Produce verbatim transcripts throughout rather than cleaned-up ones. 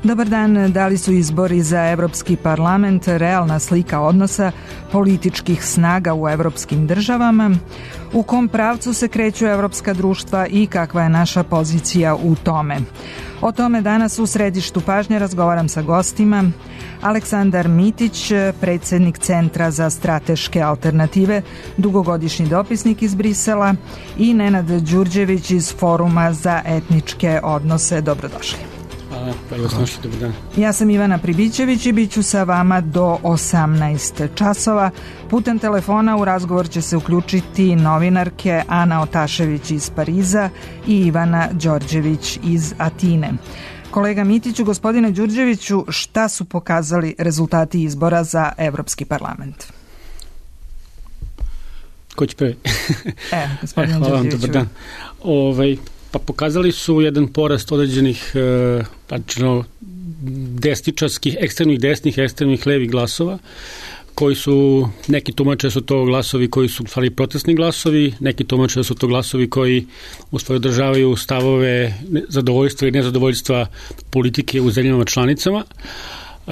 Dobar dan, da li su izbori za Evropski parlament realna slika odnosa političkih snaga u evropskim državama? U kom pravcu se kreću evropska društva i kakva je naša pozicija u tome? O tome danas u središtu pažnje razgovaram sa gostima. Aleksandar Mitić, predsjednik Centra za strateške alternative, dugogodišnji dopisnik iz Brisela, i Nenad Đurđević iz Foruma za etničke odnose. Dobrodošli. Hvala, pa vas našli, dobar dan. Ja sam Ivana Pribićević i bit ću sa vama do osamnaest časova. Putem telefona u razgovor će se uključiti novinarke Ana Otašević iz Pariza i Ivana Đorđević iz Atine. Kolega Mitiću, gospodine Đurđeviću, šta su pokazali rezultati izbora za Evropski parlament? Ko će prvi? E, gospodine e, hvala vam, Đurđeviću. dobar dan. Ovaj, pa pokazali su jedan porast određenih e, pračno desničarskih, ekstremnih desnih, ekstremnih levih glasova, koji su, neki tumače su to glasovi koji su u stvari protestni glasovi, neki tumače su to glasovi koji u stvari održavaju stavove zadovoljstva i nezadovoljstva politike u zemljama članicama. E,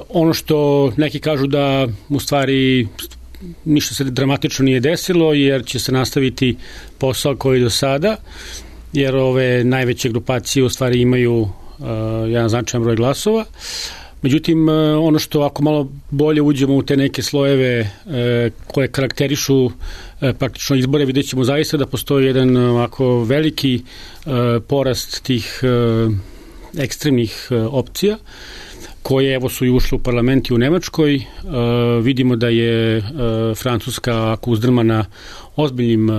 ono što neki kažu da u stvari ništa se dramatično nije desilo, jer će se nastaviti posao koji do sada, jer ove najveće grupacije u stvari imaju uh, jedan značajan broj glasova. Međutim, uh, ono što ako malo bolje uđemo u te neke slojeve uh, koje karakterišu uh, praktično izbore, vidjet ćemo zaista da postoji jedan uh, ovako veliki uh, porast tih uh, ekstremnih uh, opcija, koje evo su i ušle u parlament i u Nemačkoj. E, vidimo da je e, Francuska ako uzdrmana ozbiljnim e,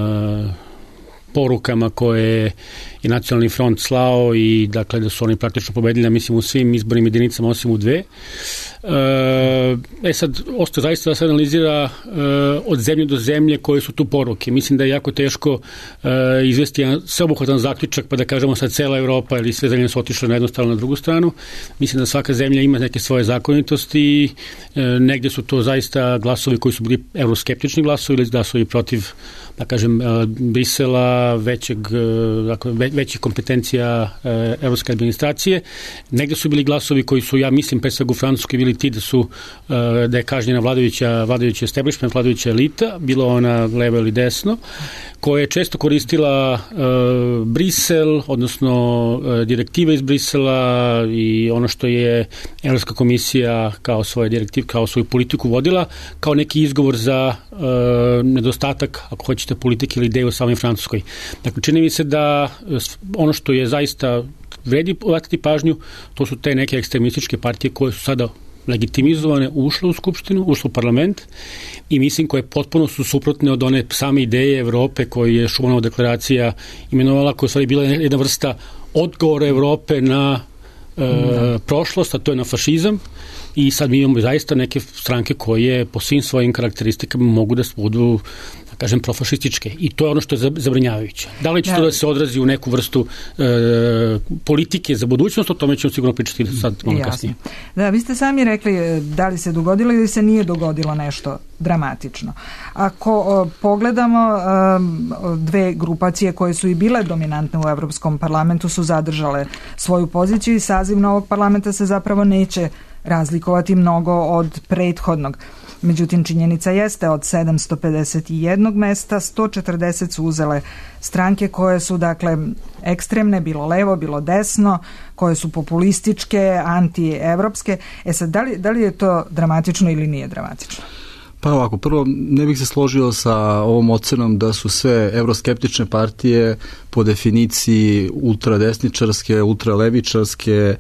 porukama koje je Nacionalni front slao i dakle da su oni praktično pobedili, mislim, u svim izbornim jedinicama osim u dve. E sad, ostaje zaista da se analizira e, od zemlje do zemlje koje su tu poruke. Mislim da je jako teško e, izvesti jedan sveobuhvatan zaključak pa da kažemo sad cela Evropa ili sve zemlje su otišle na jednu stranu, na drugu stranu. Mislim da svaka zemlja ima neke svoje zakonitosti i e, negde su to zaista glasovi koji su bili euroskeptični glasovi ili glasovi protiv, da kažem, e, Brisela, većeg, e, dakle, ve, većih kompetencija e, evropske administracije. Negde su bili glasovi koji su, ja mislim, pre svega u Francuskoj bili ti da su da je kažnjena vladajuća, vladajuća establishment, vladajuća elita, bilo ona levo ili desno, koja je često koristila uh, Brisel, odnosno uh, direktive iz Brisela i ono što je Evropska komisija kao svoje direktive, kao svoju politiku vodila, kao neki izgovor za uh, nedostatak, ako hoćete, politike ili ideje u samoj Francuskoj. Dakle, čini mi se da ono što je zaista vredi obratiti pažnju, to su te neke ekstremističke partije koje su sada legitimizovane, ušle u skupštinu, ušle u parlament i mislim koje potpuno su suprotne od one same ideje Evrope koju je Šumanova deklaracija imenovala, koja je stvari bila jedna vrsta odgovora Evrope na e, mm. prošlost, a to je na fašizam, i sad mi imamo zaista neke stranke koje po svim svojim karakteristikama mogu da budu, da kažem, profašističke, i to je ono što je zabrinjavajuće. Da li će ja. to da se odrazi u neku vrstu e, politike za budućnost, o tome ćemo sigurno pričati sad malo Jasne. kasnije. Da, vi ste sami rekli da li se dogodilo ili se nije dogodilo nešto dramatično. Ako o, pogledamo, o, dve grupacije koje su i bile dominantne u Evropskom parlamentu su zadržale svoju poziciju i saziv novog parlamenta se zapravo neće razlikovati mnogo od prethodnog. Međutim, činjenica jeste, od sedamsto pedeset jednog mesta, sto četrdeset su uzele stranke koje su, dakle, ekstremne, bilo levo, bilo desno, koje su populističke, antievropske. E sad, da li, da li je to dramatično ili nije dramatično? Pa ovako, prvo, ne bih se složio sa ovom ocenom da su sve evroskeptične partije po definiciji ultradesničarske, ultralevičarske,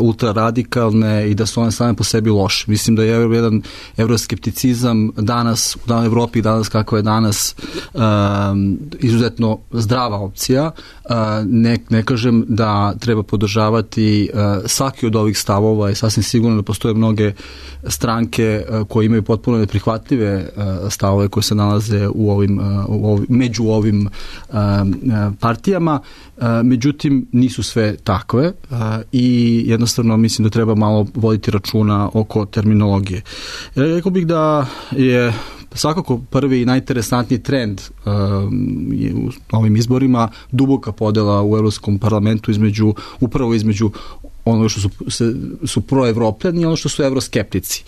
ultraradikalne i da su one same po sebi loše. Mislim da je jedan evroskepticizam danas, u danoj Evropi, danas kako je danas, um, izuzetno zdrava opcija. Uh, ne, ne kažem da treba podržavati uh, svaki od ovih stavova i sasvim sigurno da postoje mnoge stranke uh, koje imaju potpuno neprihvatljive uh, stavove koje se nalaze u ovim, uh, u ovim, među ovim uh, partijama, uh, međutim nisu sve takve uh, i jednostavno mislim da treba malo voditi računa oko terminologije. Rekao bih da je svakako prvi i najinteresantniji trend uh, u ovim izborima duboka podela u Evropskom parlamentu između, upravo između ono što su, su proevropljani i ono što su evroskeptici.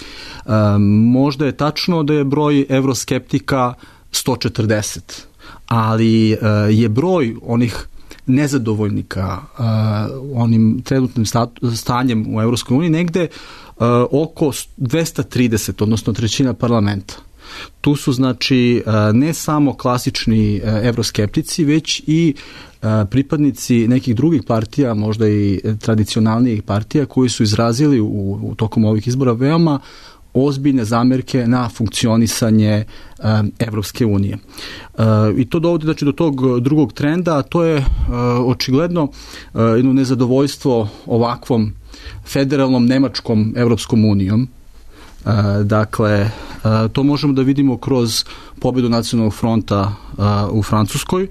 Um, možda je tačno da je broj evroskeptika sto četrdeset, ali uh, je broj onih nezadovoljnika uh, onim trenutnim stanjem u Evropskoj uniji negde uh, oko dvesta trideset, odnosno trećina parlamenta. Tu su znači ne samo klasični evroskeptici, već i pripadnici nekih drugih partija, možda i tradicionalnijih partija, koji su izrazili u, u tokom ovih izbora veoma ozbiljne zamerke na funkcionisanje Evropske unije. I to dovodi znači, do tog drugog trenda, a to je očigledno jedno nezadovoljstvo ovakvom federalnom Nemačkom Evropskom unijom. Dakle, to možemo da vidimo kroz pobedu Nacionalnog fronta u Francuskoj,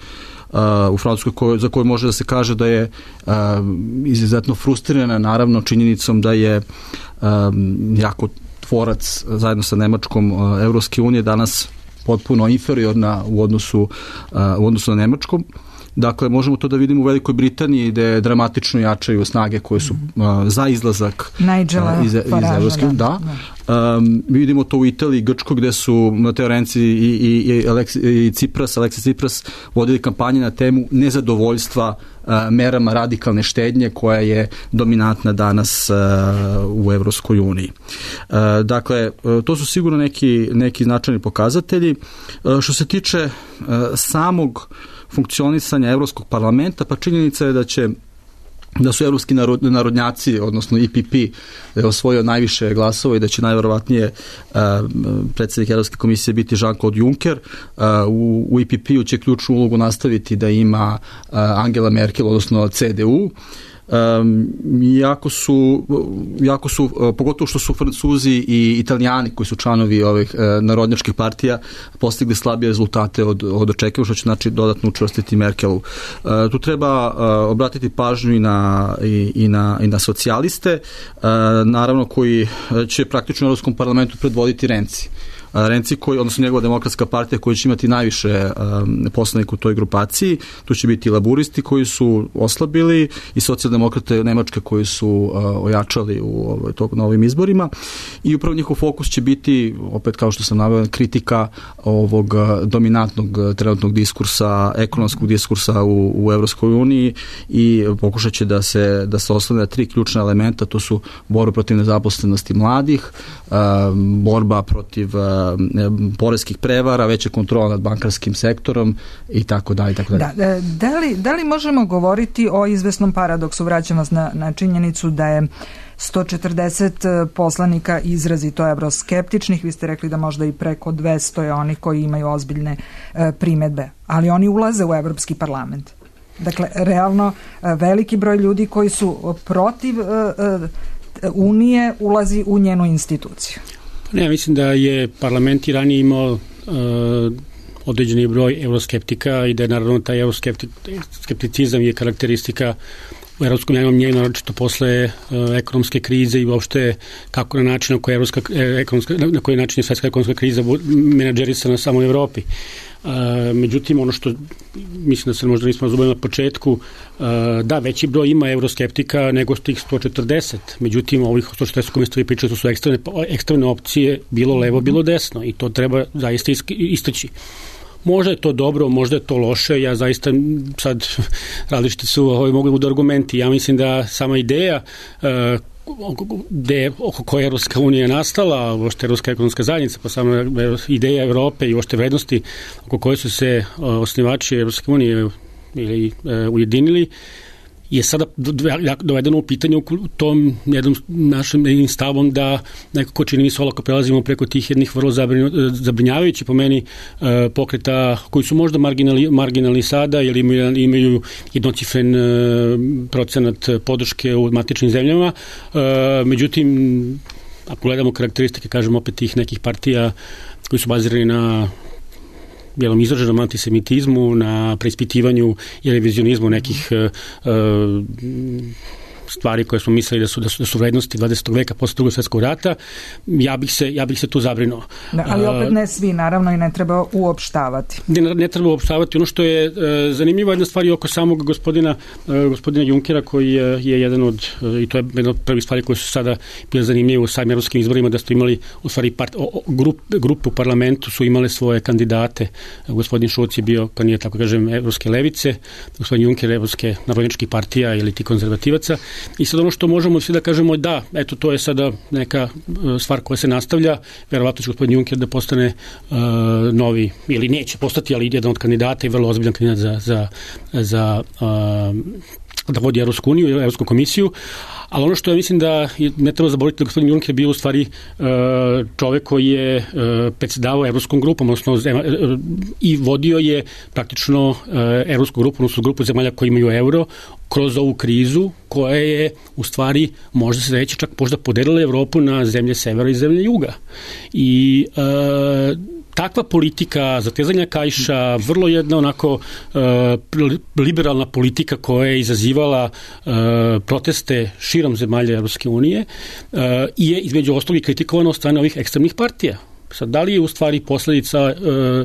u Francuskoj koj, za koju može da se kaže da je izuzetno frustrirana naravno činjenicom da je jako tvorac zajedno sa Nemačkom Evropske unije danas potpuno inferiorna u odnosu, u odnosu na Nemačkom. Dakle, možemo to da vidimo u Velikoj Britaniji gde dramatično jačaju snage koje su uh, za izlazak uh, iz, iz Evropske unije. Da. da. Um, vidimo to u Italiji i Grčkoj gde su Mateo Renzi i, i, i, Alexi, i Tsipras, Alexis Tsipras vodili kampanje na temu nezadovoljstva uh, merama radikalne štednje koja je dominantna danas uh, u Evropskoj uniji. Uh, dakle, uh, to su sigurno neki, neki značajni pokazatelji. Uh, što se tiče uh, samog funkcionisanja Evropskog parlamenta, pa činjenica je da će da su evropski narod, narodnjaci, odnosno E P P, da je osvojio najviše glasova i da će najverovatnije uh, predsjednik Evropske komisije biti Jean-Claude Juncker. Uh, u, u E P P-u će ključnu ulogu nastaviti da ima uh, Angela Merkel, odnosno C D U. Um, jako su, jako su uh, pogotovo što su Francuzi i Italijani koji su članovi ovih uh, narodnjačkih partija postigli slabije rezultate od, od očekivanja, što će znači dodatno učvrstiti Merkelu. Uh, tu treba uh, obratiti pažnju i na, i, i na, i na socijaliste, uh, naravno koji će praktično u Evropskom parlamentu predvoditi Renzi. Renzi koji, odnosno njegova demokratska partija koja će imati najviše um, poslanika u toj grupaciji, tu će biti laburisti koji su oslabili i socijaldemokrate Nemačke koji su uh, ojačali u ovaj, tog, na ovim izborima i upravo njihov fokus će biti, opet kao što sam naveo, kritika ovog dominantnog trenutnog diskursa, ekonomskog diskursa u, u Evropskoj uniji i pokušat će da se, da se oslone na tri ključna elementa, to su borba protiv nezaposlenosti mladih, uh, borba protiv uh, poreskih prevara, veća kontrola nad bankarskim sektorom i tako dalje i tako dalje. Da, da li, da li možemo govoriti o izvesnom paradoksu, vraćam vas na, na činjenicu da je sto četrdeset poslanika izrazito evroskeptičnih, vi ste rekli da možda i preko dvesta je onih koji imaju ozbiljne e, primedbe, ali oni ulaze u Evropski parlament. Dakle, realno veliki broj ljudi koji su protiv e, e, Unije ulazi u njenu instituciju. Ne, mislim da je parlament i ranije imao uh, određeni broj evroskeptika i da je naravno taj evroskepticizam je karakteristika u Evropskom javnom mnjenju, naročito posle uh, ekonomske krize i uopšte kako na način na koji, evropska, ekonomska, na koji način je svetska ekonomska kriza menadžerisana samo u Evropi. Uh, međutim, ono što mislim da se možda nismo razumeli na početku, uh, da, veći broj ima evroskeptika nego tih sto četrdeset, međutim ovih sto četrdeset koji ste vi pričali, to su ekstremne, ekstremne opcije, bilo levo, bilo desno i to treba zaista istaći. Možda je to dobro, možda je to loše, ja zaista sad različite su ovaj, mogli budu argumenti, ja mislim da sama ideja uh, gde, oko koje Evropska unija nastala, uopšte Evropska ekonomska zajednica, pa samo ideja Evrope i uopšte vrednosti oko koje su se osnivači Evropske unije ili e, ujedinili, je sada dovedeno u pitanje u tom jednom našem jednim stavom da nekako čini mi se olako prelazimo preko tih jednih vrlo zabrinjavajući po meni pokreta koji su možda marginalni, marginalni sada jer imaju, imaju jednocifren procenat podrške u matičnim zemljama. Međutim, ako gledamo karakteristike, kažem opet tih nekih partija koji su bazirani na bijelom izraženom antisemitizmu, na preispitivanju i revizionizmu nekih uh, stvari koje smo mislili da su, da su, da su vrednosti dvadesetog veka posle Drugog svjetskog rata, ja bih se, ja bih se tu zabrinuo. Da, ali opet ne svi, naravno, i ne treba uopštavati. Ne, ne treba uopštavati. Ono što je e, zanimljivo jedna stvar je oko samog gospodina, e, gospodina Junckera, koji je, je jedan od, e, i to je jedna od prvih stvari koje su sada bile zanimljive u samim evropskim izborima, da ste imali u stvari part, o, o, grup, grupe u parlamentu su imale svoje kandidate. Gospodin Šulc je bio, pa nije tako kažem, evropske levice, gospodin Juncker evropske narodničkih partija ili ti konzervativaca. I sad ono što možemo svi da kažemo, da, eto, to je sada neka stvar koja se nastavlja, verovatno će gospodin Juncker da postane uh, novi, ili neće postati, ali jedan od kandidata i vrlo ozbiljan kandidat za, za, za uh, da vodi Evropsku uniju, Evropsku komisiju, ali ono što ja mislim da ne treba zaboraviti da gospodin Juncker bio u stvari čovek koji je predsjedavao Evropskom grupom, odnosno i vodio je praktično Evropsku grupu, odnosno grupu zemalja koji imaju euro, kroz ovu krizu koja je u stvari, možda se reći, čak možda podelila Evropu na zemlje severa i zemlje juga. I e, takva politika zatezanja kaiša, vrlo jedna onako e, liberalna politika koja je izazivala e, proteste širom zemalja Evropske unije e, je između ostalog i kritikovana od strane ovih ekstremnih partija. Sad, da li je u stvari posledica e,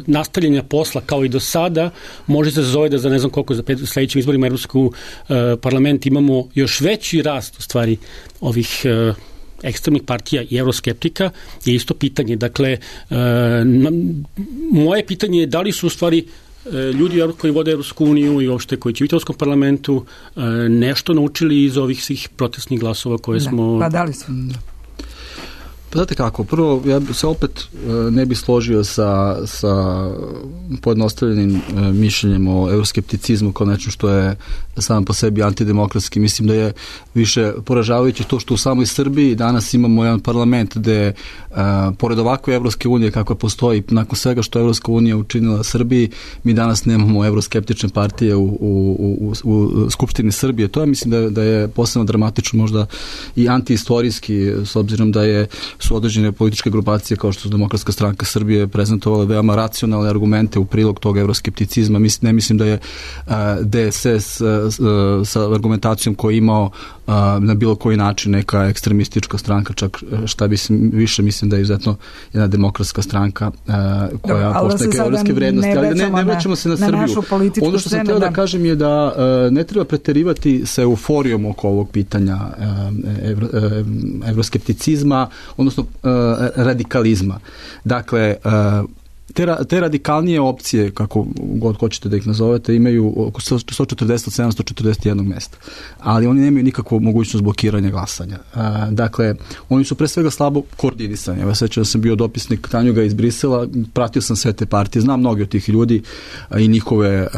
nastavljanja posla kao i do sada, može se zove da za ne znam koliko za pet, sledećim izborima Evropsku e, parlament imamo još veći rast u stvari ovih e, ekstremnih partija i euroskeptika, je isto pitanje. Dakle, e, na, moje pitanje je da li su u stvari e, ljudi koji vode Evropsku uniju i uopšte koji će u Evropskom parlamentu e, nešto naučili iz ovih svih protestnih glasova koje da, smo... Pa da li su? Da. Pa znate kako, prvo ja se opet ne bi složio sa, sa pojednostavljenim mišljenjem o euroskepticizmu kao nečem što je sam po sebi antidemokratski. Mislim da je više poražavajuće to što u samoj Srbiji danas imamo jedan parlament gde a, pored ovakve Evropske unije kakva postoji, nakon svega što Evropska unija učinila Srbiji, mi danas nemamo euroskeptične partije u, u, u, u Skupštini Srbije. To je, mislim da, da je posebno dramatično, možda i antiistorijski, s obzirom da je su određene političke grupacije kao što su Demokratska stranka Srbije prezentovale veoma racionalne argumente u prilog tog euroskepticizma. Mislim, ne mislim da je uh, D S S uh, uh, sa argumentacijom koju je imao uh, na bilo koji način neka ekstremistička stranka, čak šta bi više mislim da je izuzetno jedna demokratska stranka uh, koja poštuje neke evropske vrednosti. Ne, ali ne, ne vraćamo se na, na Srbiju. Ono što sam htio da, da kažem je da uh, ne treba preterivati sa euforijom oko ovog pitanja uh, evro, uh, evroskepticizma, odnosno radikalizma. Dakle, te, te radikalnije opcije, kako god hoćete da ih nazovete, imaju oko sto četrdeset od sedamsto četrdeset jedan mesta. Ali oni nemaju nikakvu mogućnost blokiranja glasanja. Dakle, oni su pre svega slabo koordinisani. Ja sećam da sam bio dopisnik Tanjuga iz Brisela, pratio sam sve te partije, znam mnogi od tih ljudi i njihove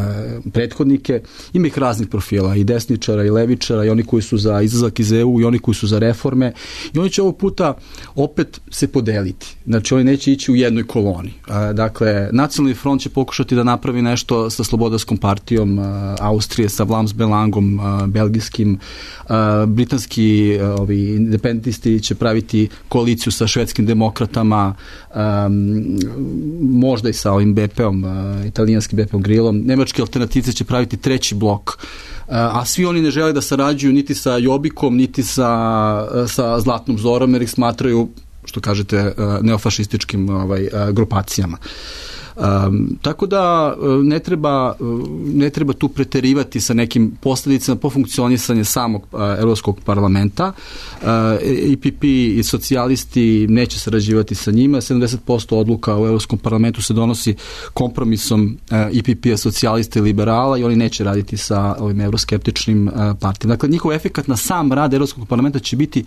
prethodnike. Ima ih raznih profila, i desničara, i levičara, i oni koji su za izlazak iz E U, i oni koji su za reforme. I oni će ovog puta opet se podeliti. Znači, oni neće ići u jednoj koloni. Dakle, Nacionalni front će pokušati da napravi nešto sa Slobodarskom partijom Austrije, sa Vlaams Belangom, belgijskim. Britanski ovi, independentisti će praviti koaliciju sa švedskim demokratama, možda i sa ovim B P-om, italijanskim B P-om Grillom. Nemački alternativci će praviti treći blok, a svi oni ne žele da sarađuju niti sa Jobikom, niti sa, sa Zlatnom Zorom, jer ih smatraju, što kažete, neofašističkim ovaj, grupacijama. Um, tako da ne treba, ne treba tu preterivati sa nekim posljedicama po funkcionisanje samog uh, Evropskog parlamenta. Uh, E P P i socijalisti neće sarađivati sa njima. sedamdeset posto odluka u Evropskom parlamentu se donosi kompromisom uh, E P P-a, socijalista i liberala, i oni neće raditi sa ovim euroskeptičnim uh, partijama. Dakle, njihov efekat na sam rad Evropskog parlamenta će biti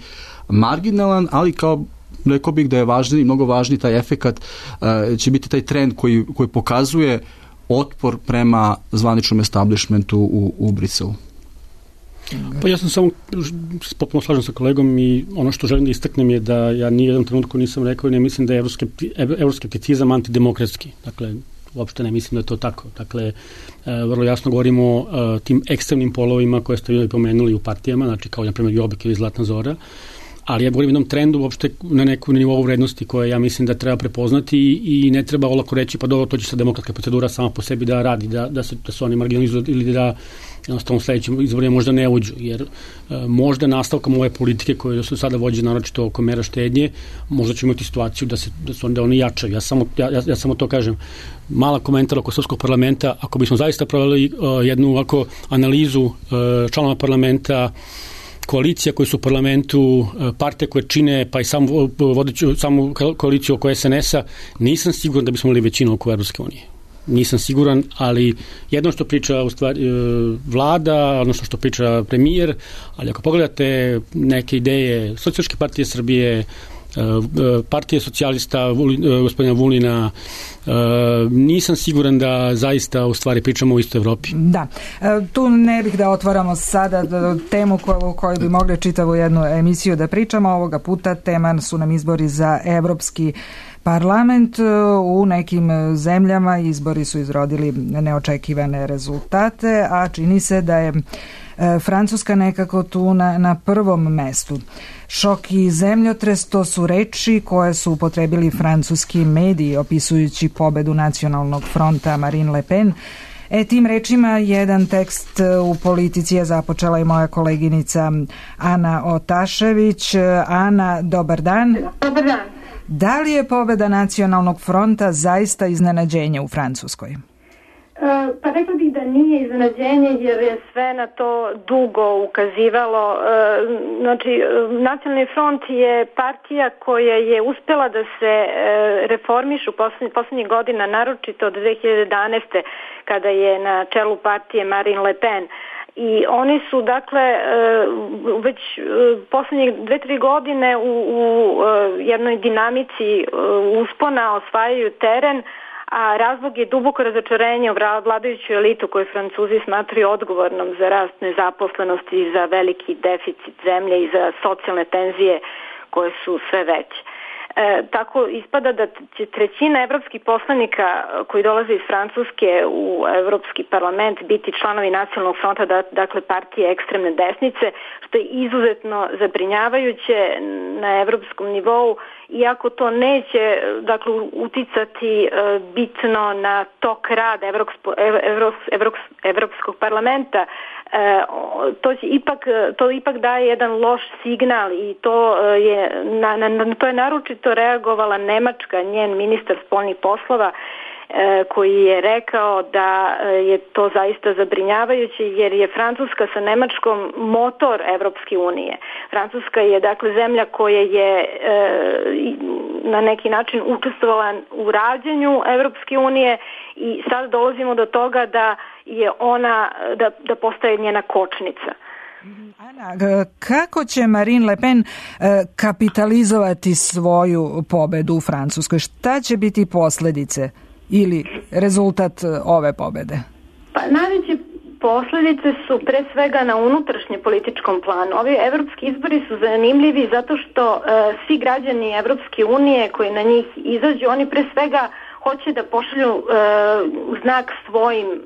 marginalan, ali kao rekao bih da je važniji, mnogo važniji taj efekat, uh, će biti taj trend koji, koji pokazuje otpor prema zvaničnom establishmentu u, u Briselu. Pa ja sam samo potpuno slažem sa kolegom i ono što želim da istaknem je da ja ni jednom trenutku nisam rekao i ne mislim da je evroskepticizam antidemokratski. Dakle, uopšte ne mislim da je to tako. Dakle, vrlo jasno govorimo o tim ekstremnim polovima koje ste vi pomenuli u partijama, znači kao na primjer Jobbik ili Zlatna Zora, ali ja govorim o jednom trendu uopšte na neku nivou vrednosti koje ja mislim da treba prepoznati i, i ne treba olako reći pa dobro, to će se demokratska procedura sama po sebi da radi, da, da, se, da se oni marginalizuju ili da jednostavno u sledećim izborima možda ne uđu, jer možda nastavkom ove politike koje su sada vođe naročito oko mera štednje, možda ćemo imati situaciju da, se, da su onda oni jačaju. Ja samo, ja, ja samo to kažem. Mala komentar oko Srpskog parlamenta, ako bismo zaista proveli uh, jednu ovako analizu uh, članova parlamenta, koalicija koje su u parlamentu, partije koje čine, pa i sam vodeću samu koaliciju oko es en es-a, nisam siguran da bismo imali većinu oko Evropske unije. Nisam siguran, ali jedno što priča u stvari vlada, odnosno što priča premijer, ali ako pogledate neke ideje Socijalističke partije Srbije, partije socijalista gospodina Vulina, nisam siguran da zaista u stvari pričamo o istoj Evropi. Da, tu ne bih da otvaramo sada temu o kojoj bi mogli čitavu jednu emisiju da pričamo. Ovoga puta tema su nam izbori za Evropski parlament. U nekim zemljama izbori su izrodili neočekivane rezultate, a čini se da je Francuska nekako tu na, na prvom mestu. Šok i zemljotres, to su reči koje su upotrebili francuski mediji opisujući pobedu Nacionalnog fronta Marine Le Pen. E, tim rečima jedan tekst u Politici je započela i moja koleginica Ana Otašević. Ana, dobar dan. Dobar dan. Da li je pobeda Nacionalnog fronta zaista iznenađenje u Francuskoj? Pa rekla bih da nije iznenađenje jer je sve na to dugo ukazivalo. Znači, Nacionalni front je partija koja je uspela da se reformiše u poslednjih godina, naročito od dve hiljade jedanaeste kada je na čelu partije Marine Le Pen. I oni su, dakle, već poslednjih dve, tri godine u, u jednoj dinamici uspona osvajaju teren, a razlog je duboko razočarenje u vladajuću elitu koju Francuzi smatraju odgovornom za rast nezaposlenosti i za veliki deficit zemlje i za socijalne tenzije koje su sve veće. E, tako ispada da će trećina evropskih poslanika koji dolaze iz Francuske u Evropski parlament biti članovi Nacionalnog fronta, da, dakle partije ekstremne desnice, što je izuzetno zabrinjavajuće na evropskom nivou, iako to neće, dakle, uticati e, bitno na tok rada Evropsko, Evro, Evro, Evropskog parlamenta. E, to će ipak to ipak daje jedan loš signal i to je na, na to je naročito reagovala Nemačka, njen ministar spoljnih poslova, e, koji je rekao da je to zaista zabrinjavajuće jer je Francuska sa Nemačkom motor Evropske unije. Francuska je, dakle, zemlja koja je e, na neki način učestvovala u rađenju Evropske unije i sad dolazimo do toga da je ona, da, da postaje njena kočnica. Ana, kako će Marine Le Pen kapitalizovati svoju pobedu u Francuskoj? Šta će biti posljedice ili rezultat ove pobede? Pa najveće posljedice su pre svega na unutrašnje političkom planu. Ovi evropski izbori su zanimljivi zato što uh, svi građani Evropske unije koji na njih izađu, oni pre svega hoće da pošalju uh, znak svojim uh,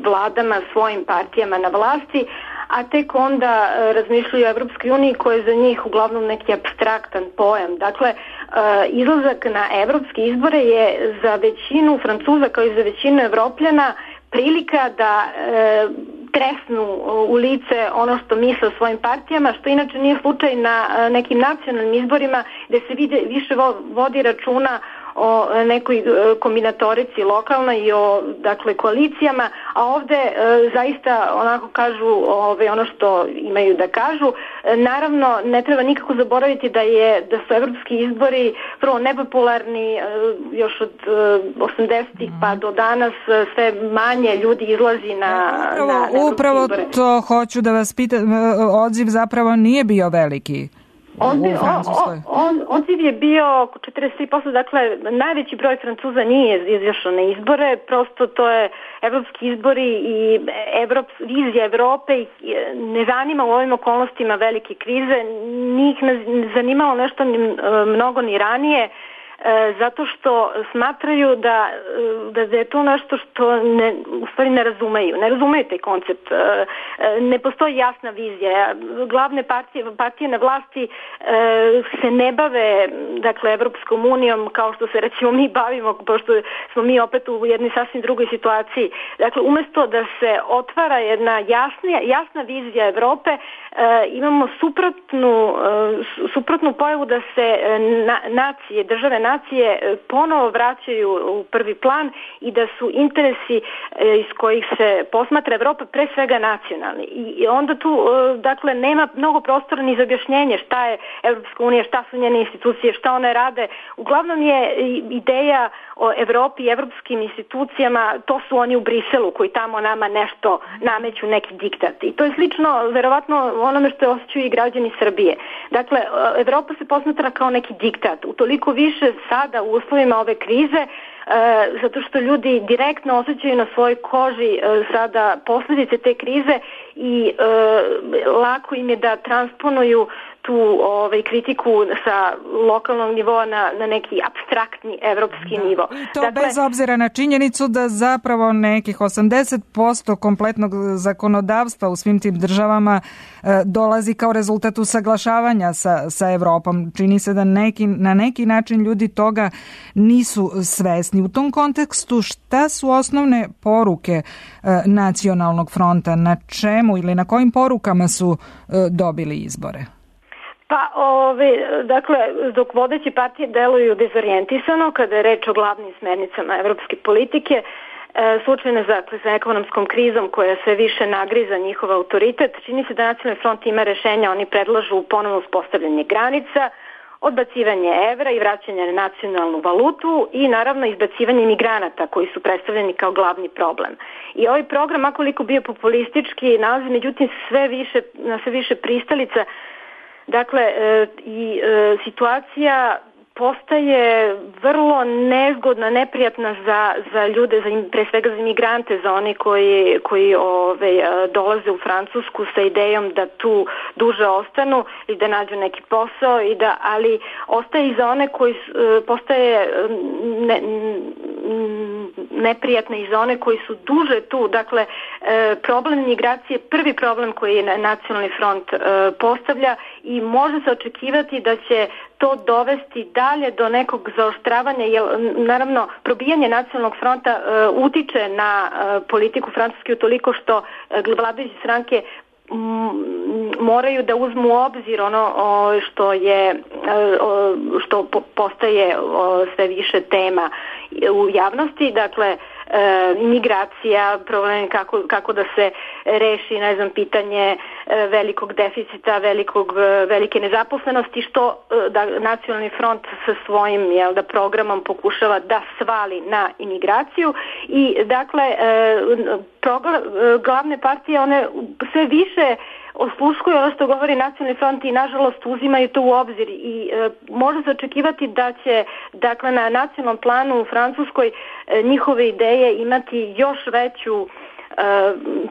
vladama, svojim partijama na vlasti, a tek onda uh, razmišljaju o Evropskoj uniji koja je za njih uglavnom neki apstraktan pojam. Dakle, uh, izlazak na evropske izbore je za većinu Francuza kao i za većinu Evropljana prilika da e, tresnu u lice ono što misle o svojim partijama, što inače nije slučaj na e, nekim nacionalnim izborima gde se vide, više vo, vodi računa o nekoj e, kombinatorici lokalnoj i o, dakle, koalicijama, a ovde e, zaista onako kažu ove, ono što imaju da kažu. E, naravno, ne treba nikako zaboraviti da je da su evropski izbori prvo nepopularni, e, još od e, osamdesetih pa do danas e, sve manje ljudi izlazi na, upravo, na, na upravo izbore. To hoću da vas pitam, odziv zapravo nije bio veliki. Odziv, on, odziv je bio oko četrdeset tri posto, dakle najveći broj Francuza nije izašao na izbore, prosto to je evropski izbori i Evrop, vizija Evrope ih ne zanima u ovim okolnostima velike krize, njih ne zanimalo nešto ni, mnogo ni ranije. zato što smatraju da, da je to nešto što ne, u stvari ne razumeju. Ne razumeju taj koncept. Ne postoji jasna vizija. Glavne partije, partije na vlasti se ne bave, dakle, Evropskom unijom kao što se recimo mi bavimo, pošto smo mi opet u jednoj sasvim drugoj situaciji. Dakle, umesto da se otvara jedna jasna, jasna vizija Evrope, imamo suprotnu, suprotnu pojavu da se na, nacije, države nacije ponovo vraćaju u prvi plan i da su interesi iz kojih se posmatra Evropa pre svega nacionalni. I onda tu, dakle, nema mnogo prostora ni za objašnjenje šta je Evropska unija, šta su njene institucije, šta one rade. Uglavnom je ideja o Evropi i evropskim institucijama, to su oni u Briselu koji tamo nama nešto nameću, neki diktat. I to je slično, verovatno, onome što osjećaju i građani Srbije. Dakle, Evropa se posmatra kao neki diktat. Utoliko više sada u uslovima ove krize, E, zato što ljudi direktno osjećaju na svojoj koži e, sada posljedice te krize i e, lako im je da transponuju tu ovaj, kritiku sa lokalnog nivoa na, na neki apstraktni evropski da. nivo. I to dakle, bez obzira na činjenicu da zapravo nekih osamdeset posto kompletnog zakonodavstva u svim tim državama e, dolazi kao rezultat usaglašavanja sa, sa Evropom. Čini se da neki, na neki način ljudi toga nisu svesni. U tom kontekstu šta su osnovne poruke e, Nacionalnog fronta? Na čemu ili na kojim porukama su e, dobili izbore? Pa, ove, dakle, dok vodeće partije deluju dezorijentisano kada je reč o glavnim smernicama evropske politike, e, suočene dakle, sa ekonomskom krizom koja sve više nagriza njihov autoritet, čini se da Nacionalni front ima rešenja, oni predlažu ponovno uspostavljanje granica, odbacivanje evra i vraćanje na nacionalnu valutu i naravno izbacivanje migranata koji su predstavljeni kao glavni problem. I ovaj program, akoliko bio populistički, nalazi međutim sve više, na sve više pristalica. Dakle, e, i e, situacija postaje vrlo nezgodna, neprijatna za, za ljude, za, pre svega za imigrante, za one koji, koji ove, dolaze u Francusku sa idejom da tu duže ostanu i da nađu neki posao, i da, ali ostaje i za one koji postaje ne, neprijatne i za one koji su duže tu. Dakle, problem migracije je prvi problem koji je Nacionalni front postavlja i može se očekivati da će to dovesti dalje do nekog zaoštravanja, jer naravno probijanje Nacionalnog fronta uh, utiče na uh, politiku Francuske utoliko što uh, vladajuće stranke m, moraju da uzmu u obzir ono o, što je uh, što po, postaje o, sve više tema u javnosti, dakle E, imigracija, problem kako, kako da se reši, ne znam, pitanje e, velikog deficita, velikog, velike nezaposlenosti, što e, da Nacionalni front sa svojim jel, da programom pokušava da svali na imigraciju i dakle e, progla, glavne partije one sve više osluškuju ono što govori Nacionalni front i nažalost uzimaju to u obzir i e, može se očekivati da će dakle na nacionalnom planu u Francuskoj e, njihove ideje imati još veću e,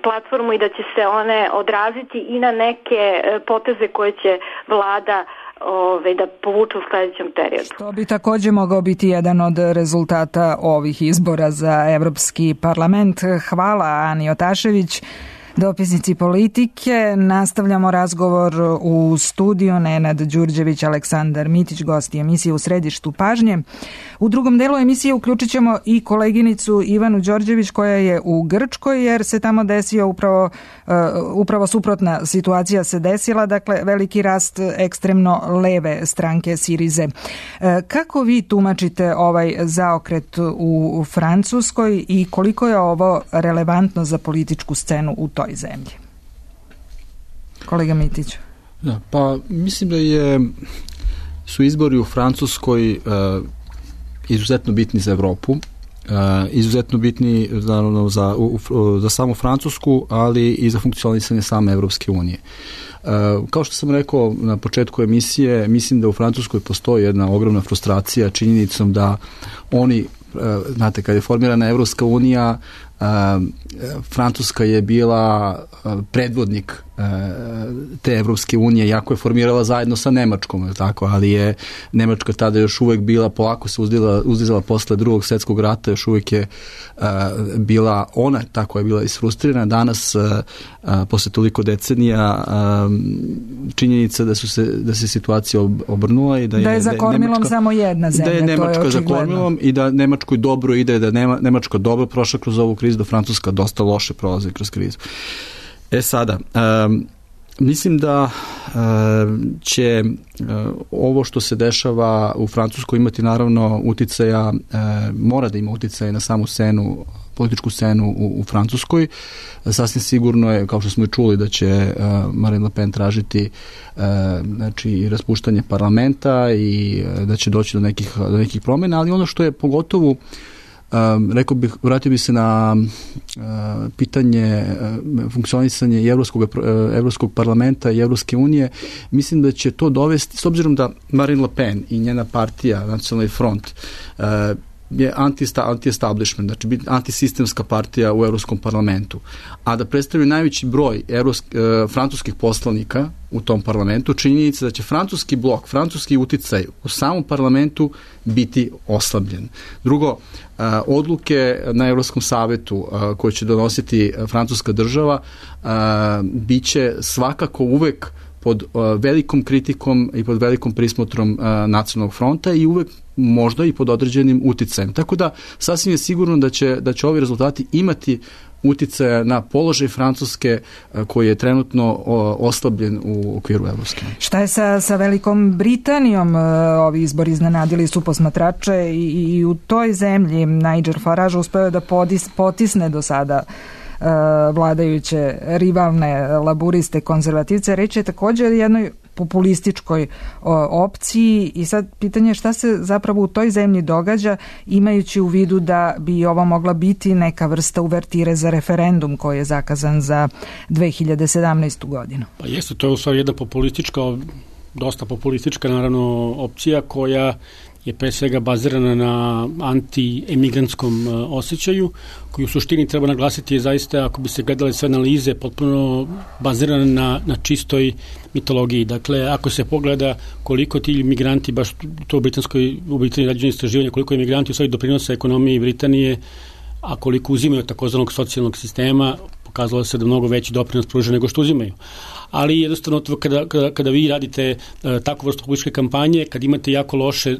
platformu i da će se one odraziti i na neke e, poteze koje će vlada Ove, da povuče u sledećem periodu. Što bi takođe mogao biti jedan od rezultata ovih izbora za Evropski parlament. Hvala Ani Otašević, dopisnici Politike. Nastavljamo razgovor u studiju. Nenad Đurđević, Aleksandar Mitić, gosti emisije U središtu pažnje. U drugom delu emisije uključit ćemo i koleginicu Ivanu Đorđević koja je u Grčkoj jer se tamo desio upravo, uh, upravo suprotna situacija se desila, dakle veliki rast ekstremno leve stranke Sirize. Uh, kako vi tumačite ovaj zaokret u Francuskoj i koliko je ovo relevantno za političku scenu u toj zemlji? Kolega Mitić. Da, pa mislim da je su izbori u Francuskoj uh, izuzetno bitni za Evropu, uh, izuzetno bitni naravno za, u, za samu Francusku, ali i za funkcionisanje same Evropske unije. Uh, kao što sam rekao na početku emisije, mislim da u Francuskoj postoji jedna ogromna frustracija činjenicom da oni, uh, znate, kad je formirana Evropska unija, Francuska je bila predvodnik te Evropske unije, jako je formirala zajedno sa Nemačkom, tako, ali je Nemačka tada još uvek bila, polako se uzdizala, uzdizala posle drugog svjetskog rata, još uvek je bila ona, tako je bila isfrustrirana. Danas, posle toliko decenija, činjenica da su se, da se situacija obrnula i da je, da je za kormilom Nemačka, samo jedna zemlja, da je Nemačka to je za kormilom i da Nemačkoj dobro ide, da Nema, Nemačka dobro prošla kroz ovu krizu, da Francuska dosta loše prolazi kroz krizu. E sada, um, mislim da um, će um, ovo što se dešava u Francuskoj imati naravno uticaja, um, mora da ima uticaja na samu scenu, političku scenu u, u Francuskoj. Sasvim sigurno je, kao što smo i čuli, da će uh, Marine Le Pen tražiti uh, znači, raspuštanje parlamenta i uh, da će doći do nekih, do nekih promjena, ali ono što je pogotovo Um, rekao bih, vratio bih se na uh, pitanje uh, funkcionisanje Evropskog, uh, Evropskog parlamenta i Evropske unije. Mislim da će to dovesti, s obzirom da Marine Le Pen i njena partija, Nacionalni front, uh, je anti-establishment, znači biti antisistemska partija u Evropskom parlamentu, a da predstavljaju najveći broj evropsk, e, francuskih poslanika u tom parlamentu, činjenica da će francuski blok, francuski uticaj u samom parlamentu biti oslabljen. Drugo, e, odluke na Evropskom savetu e, koje će donositi francuska država e, bit će svakako uvek pod uh, velikom kritikom i pod velikom prismotrom uh, Nacionalnog fronta i uvek možda i pod određenim uticajem. Tako da sasvim je sigurno da će, da će ovi rezultati imati uticaja na položaj Francuske uh, koji je trenutno uh, oslabljen u okviru Evropske unije. Šta je sa, sa Velikom Britanijom? Uh, ovi izbori iznenadili su posmatrače i, i u toj zemlji Nigel Farage uspeo je da podis, potisne do sada vladajuće rivalne laburiste, konzervativce. Reč je također o jednoj populističkoj o, opciji i sad pitanje šta se zapravo u toj zemlji događa, imajući u vidu da bi ovo mogla biti neka vrsta uvertire za referendum koji je zakazan za dve hiljade sedamnaestu. godinu. Pa jeste, to je u stvari jedna populistička, dosta populistička naravno opcija koja je pre svega bazirana na anti-emigrantskom osjećaju, koji u suštini treba naglasiti je zaista, ako bi se gledale sve analize, potpuno bazirana na, na čistoj mitologiji. Dakle, ako se pogleda koliko ti migranti, baš to u Britanskoj, u Britaniji rađeno istraživanje, koliko imigranti u stvari doprinose ekonomiji Britanije, a koliko uzimaju takozvanog socijalnog sistema, pokazalo se da mnogo veći doprinos pruža nego što uzimaju. Ali jednostavno kada, kada, kada vi radite uh, takvu vrstu političke kampanje, kad imate jako loše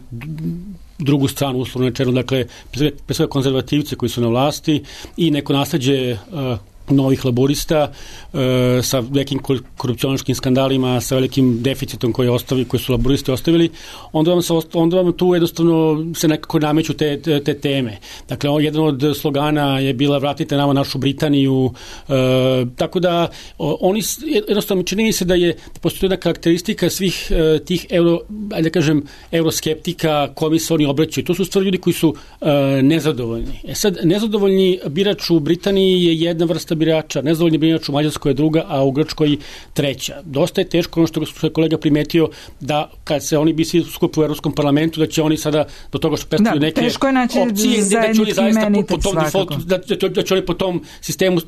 drugu stranu, uslovno rečeno, dakle, pre svega konzervativce koji su na vlasti i neko nasleđe uh, novih laborista e, sa nekim korupcionaškim skandalima, sa velikim deficitom koji, ostavi, koji su laboristi ostavili, onda vam, se, onda vam tu jednostavno se nekako nameću te, te, te teme. Dakle, jedan od slogana je bila vratite nama našu Britaniju, e, tako da o, oni jednostavno čini se da je da postoji jedna karakteristika svih e, tih euro, ajde da kažem, euroskeptika kojima se oni obraćaju. To su stvari ljudi koji su e, nezadovoljni. E sad, nezadovoljni birač u Britaniji je jedna vrsta birača, nezadovoljni birač u Mađarskoj je druga, a u Grčkoj treća. Dosta je teško, ono što je kolega primetio, da kad se oni bi svi skupu u Evropskom parlamentu, da će oni sada do toga što predstavljaju neke opcije, da će oni zaista po, po tom defaultu, da, da, da će oni po tom sistemu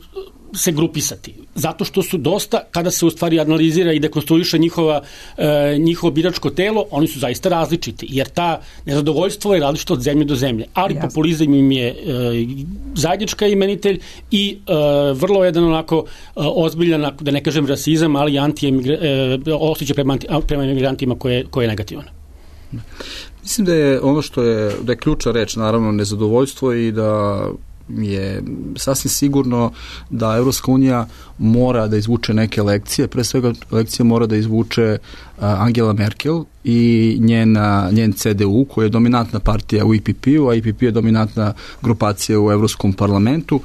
se grupisati. Zato što su dosta, kada se u stvari analizira i dekonstruiše njihova, e, njihovo biračko telo, oni su zaista različiti, jer ta nezadovoljstvo je različito od zemlje do zemlje. Ali Jasne. Populizam im je e, zajednička imenitelj i e, vrlo jedan onako e, ozbiljan, da ne kažem rasizam, ali anti e, osjećaj prema, prema emigrantima koje, koje je negativan. Mislim da je ono što je, da je ključna reč, naravno, nezadovoljstvo i da je sasvim sigurno da Evropska unija mora da izvuče neke lekcije, pre svega lekcije mora da izvuče Angela Merkel i njena, njen C D U, koja je dominantna partija u E P P-u, a E P P je dominantna grupacija u Evropskom parlamentu.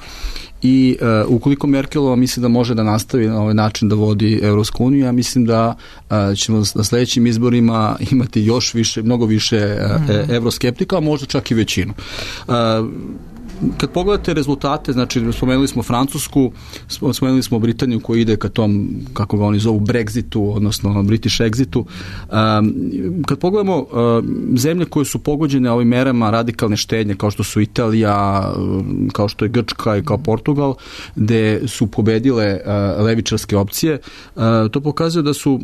I uh, ukoliko Merkelova misli da može da nastavi na ovaj način da vodi Evropsku uniju, ja mislim da uh, ćemo na sledećim izborima imati još više, mnogo više uh, mm-hmm. evroskeptika, a možda čak i većinu. Uh, kad pogledate rezultate, znači spomenuli smo Francusku, spomenuli smo Britaniju koja ide ka tom, kako ga oni zovu, Brexitu, odnosno British Exitu. Um, kad pogledamo uh, zemlje koje su pogođene ovim merama radikalne štednje, kao što su Italija, kao što je Grčka i kao Portugal, gde su pobedile uh, levičarske opcije, uh, to pokazuje da su, uh,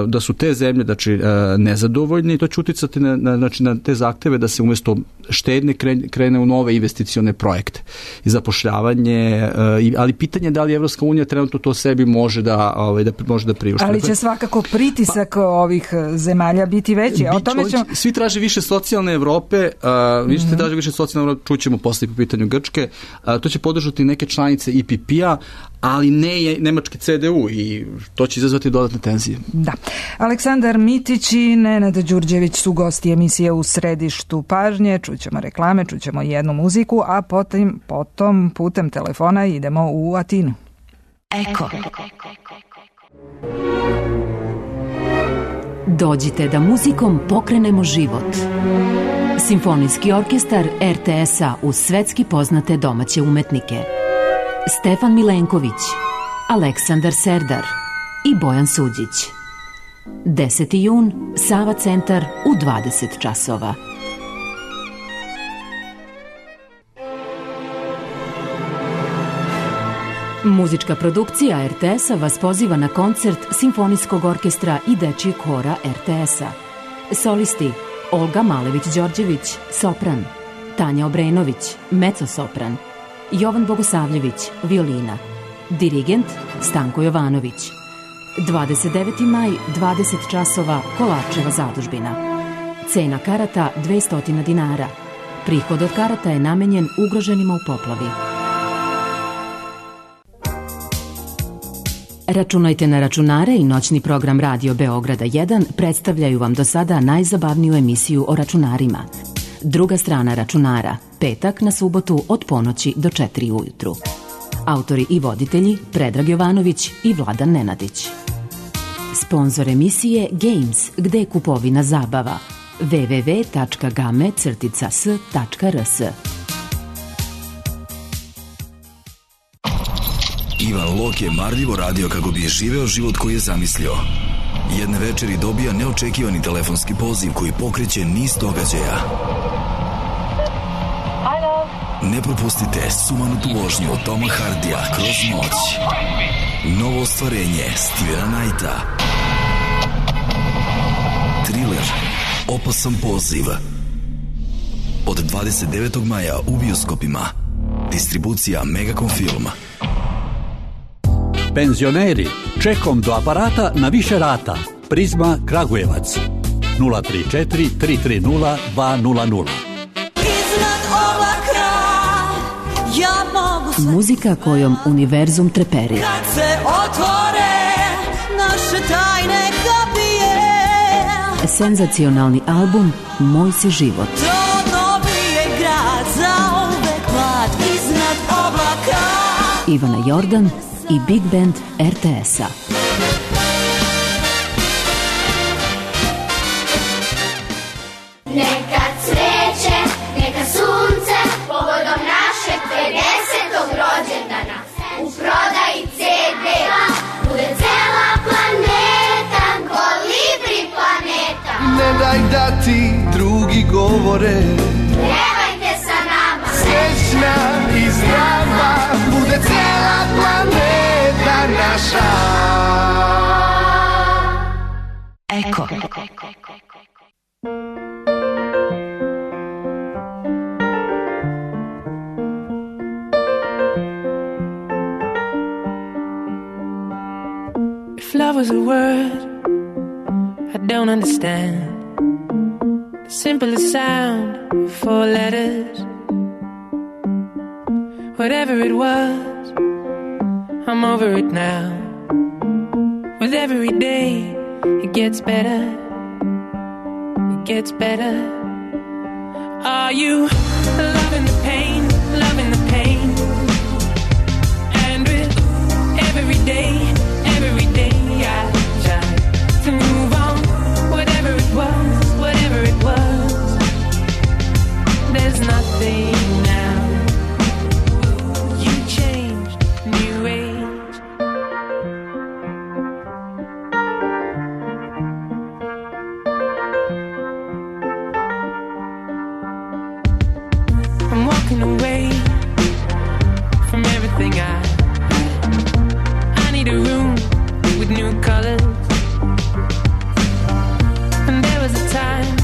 da su te zemlje, znači, uh, nezadovoljne i to će uticati na, na, znači, na te zahteve da se umjesto štednje krene, krene u nove investicione projekte i zapošljavanje, uh, ali pitanje je da li Evropska unija trenutno to sebi može da, ovaj, da, može da priušti. Ali će svakako pritisak pa, ovih zemalja biti veći. O tome ćemo... Svi traže više socijalne Evrope, uh, vi ćete mm-hmm. traže više socijalne Evrope, čućemo posle po pitanju Grčke, uh, to će podržati neke članice I P P-a, ali ne je nemački C D U i to će izazvati dodatne tenzije. Da. Aleksandar Mitić i Nenad Đurđević su gosti emisije U središtu pažnje. Čućemo reklame, čućemo jednu muziku, a potom, potom putem telefona idemo u Atinu. Eko. Dođite da muzikom pokrenemo život. Simfonijski orkestar R T S-a uz svetski poznate domaće umetnike. Stefan Milenković, Aleksandar Serdar i Bojan Suđić. deseti jun, Sava centar u dvadeset časova. Muzička produkcija R T S-a vas poziva na koncert Simfonijskog orkestra i dečijeg hora R T S-a. Solisti Olga Malević-Đorđević, sopran, Tanja Obrenović, mezzo-sopran, Jovan Bogosavljević, violina, dirigent Stanko Jovanović. dvadeset deveti maj, dvadeset časova, Kolarčeva zadužbina. Cena karata dvesta dinara. Prihod od karata je namenjen ugroženima u poplavi. Računajte na računare i noćni program Radio Beograda jedan predstavljaju vam do sada najzabavniju emisiju o računarima. Druga strana računara, petak na subotu od ponoći do četiri ujutru. Autori i voditelji Predrag Jovanović i Vladan Nenadić. Sponzor emisije Games, gde je kupovina zabava. w w w tačka game crtica s tačka r s. Ivan Lok je marljivo radio kako bi je živeo život koji je zamislio. Jedne večeri dobija neočekivani telefonski poziv koji pokreće niz događaja. Ne propustite sumanutu vožnju Toma Hardija Kroz noć. Novo ostvarenje Stevena Knighta. Thriller Opasan poziv. Od dvadeset devetog maja u bioskopima. Distribucija Megacom Film. Penzioneri, čekom do aparata na više rata. Prizma Kragujevac. nula tri četiri tri tri nula dva nula nula. Muzika kojom univerzum treperi. Kad se otvore naše tajne kapije. Senzacionalni album Moj si život. To dobije grad za uvek mlad iznad oblaka. Ivana Jordan i Big Band R T S-a. Neka cveće, neka sunce, povodom našeg pedesetog rođendana. U prodaji C D bude cela planeta, Kolibri planeta. Ne daj da ti drugi govore, Pevajte sa nama, srećna i zdrava, bude cela planeta naša. Eko. If love was a word I don't understand, the simplest sound, four letters. Whatever it was, I'm over it now. With every day, it gets better. It gets better. Are you loving the pain, loving the pain? And with every day, every day I try to move on. Whatever it was, whatever it was, there's nothing now new colors. And there was a time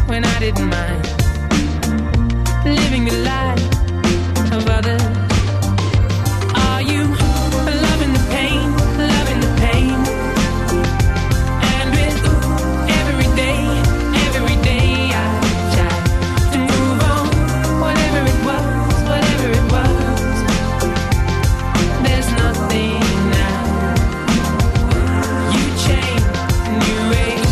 when I didn't mind living the life of others. Are you loving the pain, loving the pain? And with every day, every day I try to move on. Whatever it was, whatever it was, there's nothing now. You changed, new age,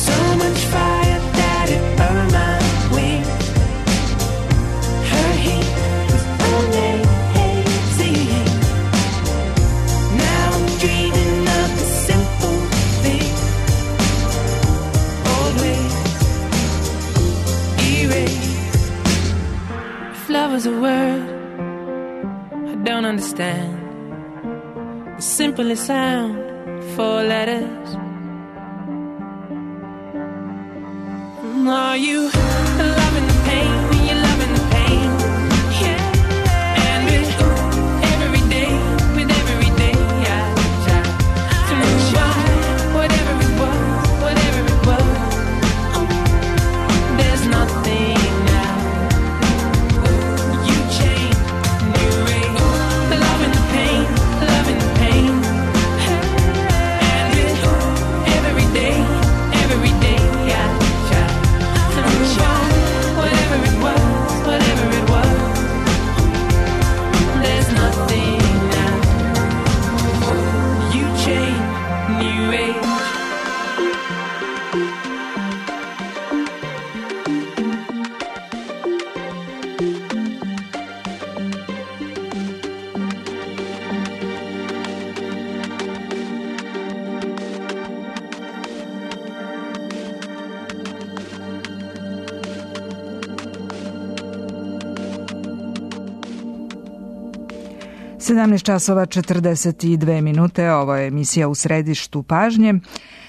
so much fire that it burned my wings. Her heat was amazing. Now I'm dreaming of the simple thing. Old ways erased. If love was a word I don't understand, the simplest sound, four letters. Are you loving the pain? You're loving the pain, yeah. And with every day, with every day, I try to move on. Whatever it was, whatever it was, there's nothing now. You change, new age, loving the pain, loving the pain. And with every day, every day, I try to move on. Whatever it was, whatever it was, there's nothing now. You change, new age. sedamnaest časova četrdeset dve minute, ovo je emisija U središtu pažnje.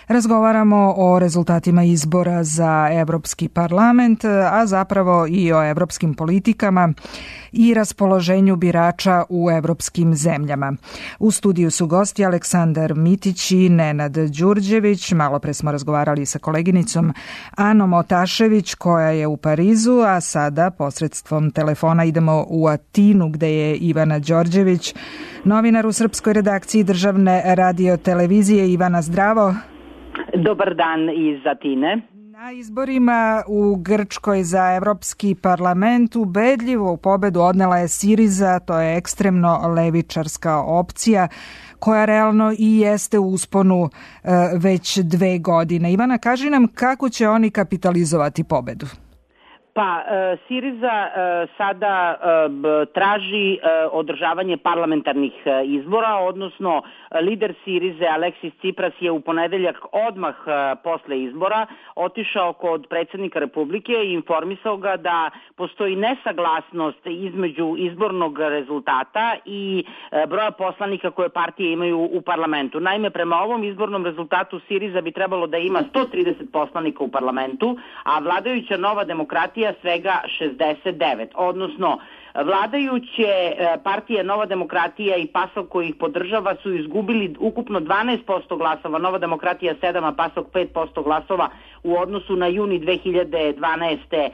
Razgovaramo o rezultatima izbora za Evropski parlament, a zapravo i o evropskim politikama i raspoloženju birača u evropskim zemljama. U studiju su gosti Aleksandar Mitić i Nenad Đurđević. Malo pre smo razgovarali sa koleginicom Anom Otašević koja je u Parizu, a sada posredstvom telefona idemo u Atinu gde je Ivana Đorđević, novinar u srpskoj redakciji Državne radiotelevizije. Ivana, zdravo. Dobar dan iz Atine. Na izborima u Grčkoj za Evropski parlament ubedljivo pobedu odnela je Siriza, to je ekstremno levičarska opcija koja realno i jeste u usponu e, već dve godine. Ivana, kaži nam kako će oni kapitalizovati pobedu? Pa, e, Siriza e, sada e, traži e, održavanje parlamentarnih e, izbora, odnosno lider Sirize Aleksis Tsipras je u ponedeljak odmah e, posle izbora otišao kod predsjednika Republike i informisao ga da postoji nesaglasnost između izbornog rezultata i e, broja poslanika koje partije imaju u parlamentu. Naime, prema ovom izbornom rezultatu Siriza bi trebalo da ima sto trideset poslanika u parlamentu, a vladajuća Nova demokratija svega šezdeset devet, odnosno vladajuće partije Nova demokratija i PASOK koji ih podržava su izgubili ukupno dvanaest posto glasova, Nova demokratija sedam, a PASOK pet posto glasova u odnosu na juni dve hiljade dvanaeste.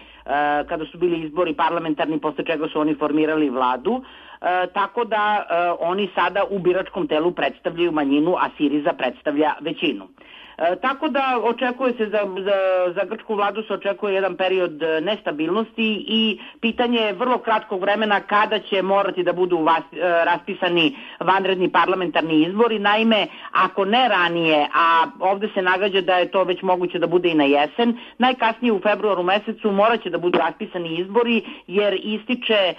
kada su bili izbori parlamentarni, posle čega su oni formirali vladu. E, tako da e, oni sada u biračkom telu predstavljaju manjinu, a Siriza predstavlja većinu. E, tako da očekuje se za, za, za grčku vladu se očekuje jedan period nestabilnosti i pitanje je vrlo kratkog vremena kada će morati da budu vas, raspisani vanredni parlamentarni izbori. Naime, ako ne ranije, a ovde se nagađa da je to već moguće da bude i na jesen, najkasnije u februaru mesecu morat će da budu raspisani izbori jer ističe e,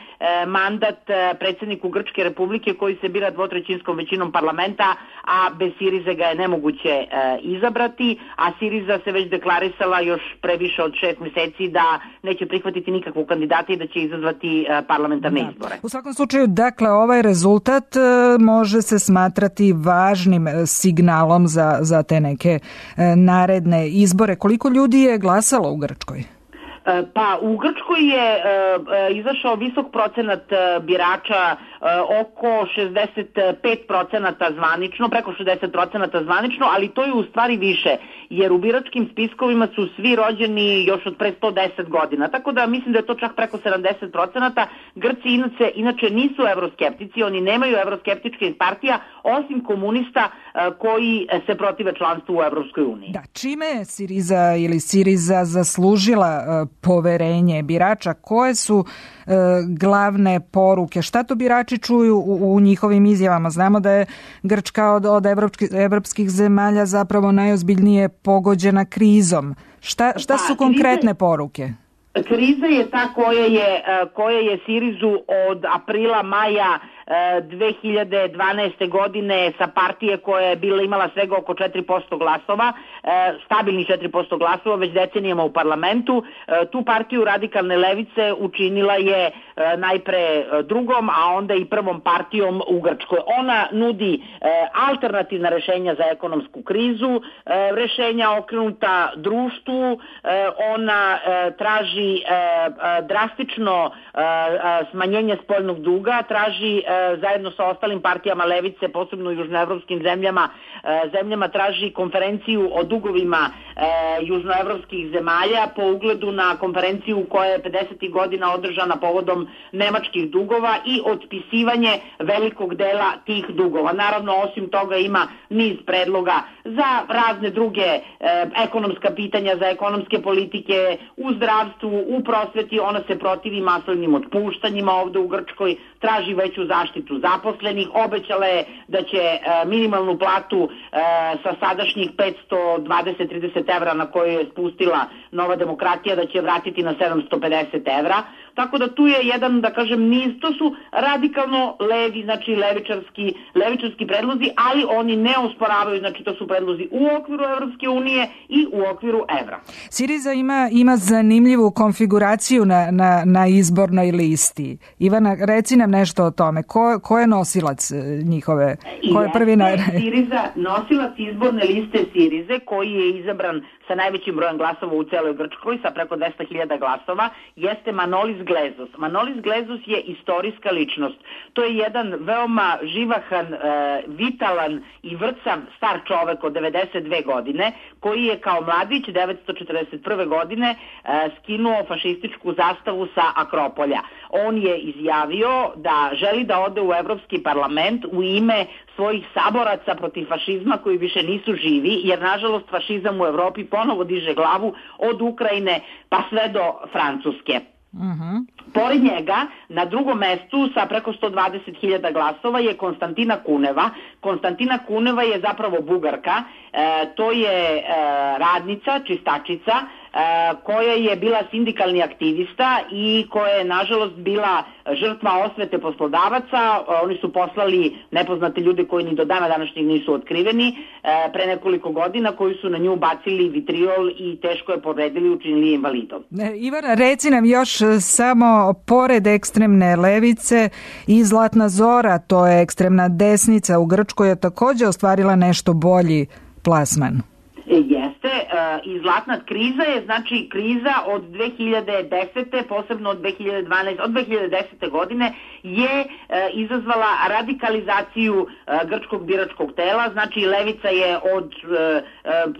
mandat e, predsjedniku Grčke republike koji se bira dvotrećinskom većinom parlamenta, a bez Sirize ga je nemoguće e, izabrati, a Siriza se već deklarisala još pre više od šest meseci da neće prihvatiti nikakvog kandidata i da će izazvati e, parlamentarne da. izbore. U svakom slučaju, dakle, ovaj rezultat e, može se smatrati važnim signalom za, za te neke e, naredne izbore. Koliko ljudi je glasalo u Grčkoj? Pa u Grčkoj je e, e, izašao visok procenat e, birača, e, oko šezdeset pet procenata zvanično, preko šezdeset procenata zvanično, ali to je u stvari više, jer u biračkim spiskovima su svi rođeni još od pre sto deset godina, tako da mislim da je to čak preko sedamdeset procenata. Grci inače, inače nisu evroskeptici, oni nemaju evroskeptičke partija, osim komunista e, koji se protive članstvu u Evropskoj uniji. Da, čime je Siriza ili Siriza zaslužila e, poverenje birača? Koje su e, glavne poruke? Šta to birači čuju u, u njihovim izjavama? Znamo da je Grčka od, od evropskih, evropskih zemalja zapravo najozbiljnije pogođena krizom. Šta, šta su konkretne poruke? Kriza je ta koja je, koja je Sirizu od aprila, maja dve hiljade dvanaeste. godine sa partije koja je bila imala svega oko četiri posto glasova, stabilnih četiri posto glasova već decenijama u parlamentu. Tu partiju radikalne levice učinila je najpre drugom, a onda i prvom partijom u Grčkoj. Ona nudi alternativna rešenja za ekonomsku krizu, rešenja okrenuta društvu, ona traži drastično smanjenje spoljnog duga, traži zajedno sa ostalim partijama levice, posebno u južnoevropskim zemljama, zemljama traži konferenciju o dugovima južnoevropskih zemalja po ugledu na konferenciju koja je pedesetih godina održana povodom nemačkih dugova i otpisivanje velikog dela tih dugova. Naravno, osim toga ima niz predloga za razne druge ekonomska pitanja, za ekonomske politike u zdravstvu, u prosveti. Ona se protivi masovnim otpuštanjima ovde u Grčkoj, traži veću zaštitu zaposlenih, obećala je da će e, minimalnu platu e, sa sadašnjih petsto dvadeset do trideset evra na koju je spustila Nova demokratija, da će vratiti na sedamsto pedeset evra. Tako da tu je jedan, da kažem, niz, to su radikalno levi, znači levičarski, levičarski predlozi, ali oni ne osporavaju, znači to su predlozi u okviru Evropske unije i u okviru evra. Siriza ima, ima zanimljivu konfiguraciju na, na, na izbornoj listi. Ivana, reci nam nešto o tome. Ko, ko je nosilac njihove? Ko je prvi na... Siriza, nosilac izborne liste Sirize, koji je izabran sa najvećim brojem glasova u celoj Grčkoj, sa preko dvesta hiljada glasova, jeste Manolis Glezos. Manolis Glezos je istorijska ličnost. To je jedan veoma živahan, e, vitalan i vrcav star čovek od devedeset dve godine, koji je kao mladić devetsto četrdeset prve. godine e, skinuo fašističku zastavu sa Akropolja. On je izjavio da želi da ode u Evropski parlament u ime svojih saboraca protiv fašizma koji više nisu živi, jer nažalost fašizam u Evropi ponovo diže glavu od Ukrajine pa sve do Francuske. Uh-huh. Pored njega, na drugom mestu sa preko sto dvadeset hiljada glasova je Konstantina Kuneva. Konstantina Kuneva je zapravo Bugarka, e, to je e, radnica, čistačica, e, koja je bila sindikalni aktivista i koja je nažalost bila žrtva osvete poslodavaca. Oni su poslali nepoznate ljude koji ni do dana današnjeg nisu otkriveni e, pre nekoliko godina, koji su na nju bacili vitriol i teško je povredili, učinili invalidom. Ivana, reci nam još samo pored ekstremne levice i Zlatna Zora, to je ekstremna desnica u Grčkoj, je također ostvarila nešto bolji plasman. Jeste, i zlatna kriza je, znači kriza od dve hiljade desete. posebno od dve hiljade dvanaeste. od dve hiljade desete. godine je izazvala radikalizaciju grčkog biračkog tela, znači levica je od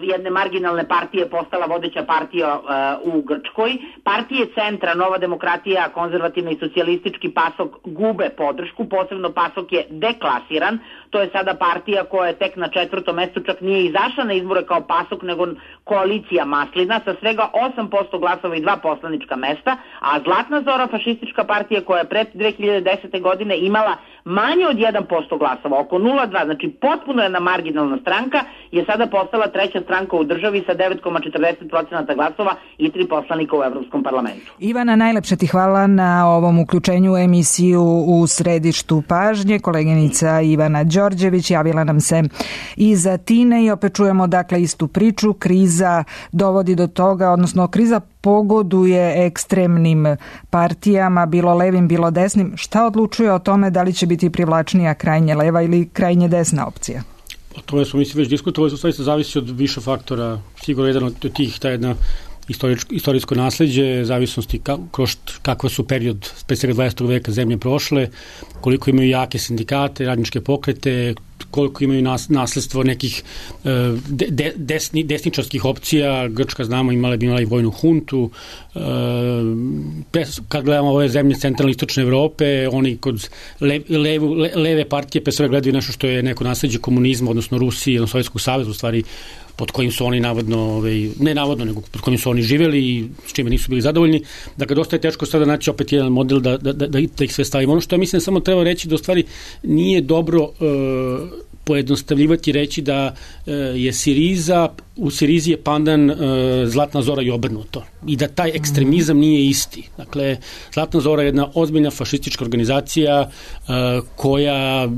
jedne marginalne partije postala vodeća partija u Grčkoj. Partije centra, Nova demokratija, konzervativni i socijalistički PASOK gube podršku, posebno PASOK je deklasiran, to je sada partija koja je tek na četvrtom mestu, čak nije izašla na izbore kao PASOK, nego koalicija Maslina sa svega osam posto glasova i dva poslanička mesta, a Zlatna Zora, fašistička partija koja je pred dve hiljade desete. godine imala manje od jedan posto glasova, oko nula zarez dva, znači potpuno jedna marginalna stranka, je sada postala treća stranka u državi sa devet zarez četrdeset posto glasova i tri poslanika u Evropskom parlamentu. Ivana, najlepše ti hvala na ovom uključenju u emisiju U središtu pažnje. Koleginica Ivana Đorđević javila nam se iz Atine i opet čujemo dakle istu priču. Kriza dovodi do toga, odnosno kriza pogoduje ekstremnim partijama, bilo levim, bilo desnim. Šta odlučuje o tome da li će biti privlačnija krajnje leva ili krajnje desna opcija? O tome smo mislim već diskutovali, u stvari se zavisi od više faktora. Sigurno jedan od tih, ta jedna istorijsko, istorijsko nasleđe, zavisnosti ka, kroz kakva su period pre svega dvadesetog veka zemlje prošle, koliko imaju jake sindikate, radničke pokrete, koliko imaju nas, nasledstvo nekih de, de, desni, desničarskih opcija. Grčka, znamo, imala bi imala i vojnu huntu. E, kad gledamo ove zemlje centralne istočne Evrope, oni kod le, levu, le, leve partije pre svega gledaju nešto što je neko nasleđe komunizma, odnosno Rusije, odnosno Sovjetskog saveza, u stvari pod kojim su oni navodno, ovaj, ne navodno, nego pod kojim su oni živeli i s čime nisu bili zadovoljni. Dakle, dosta je teško sada naći opet jedan model da, da, da, da ih sve stavimo. Ono što ja mislim samo treba reći da u stvari nije dobro uh, pojednostavljivati, reći da uh, je Siriza, u Sirizi je pandan uh, Zlatna Zora i obrnuto. I da taj ekstremizam nije isti. Dakle, Zlatna Zora je jedna ozbiljna fašistička organizacija uh, koja,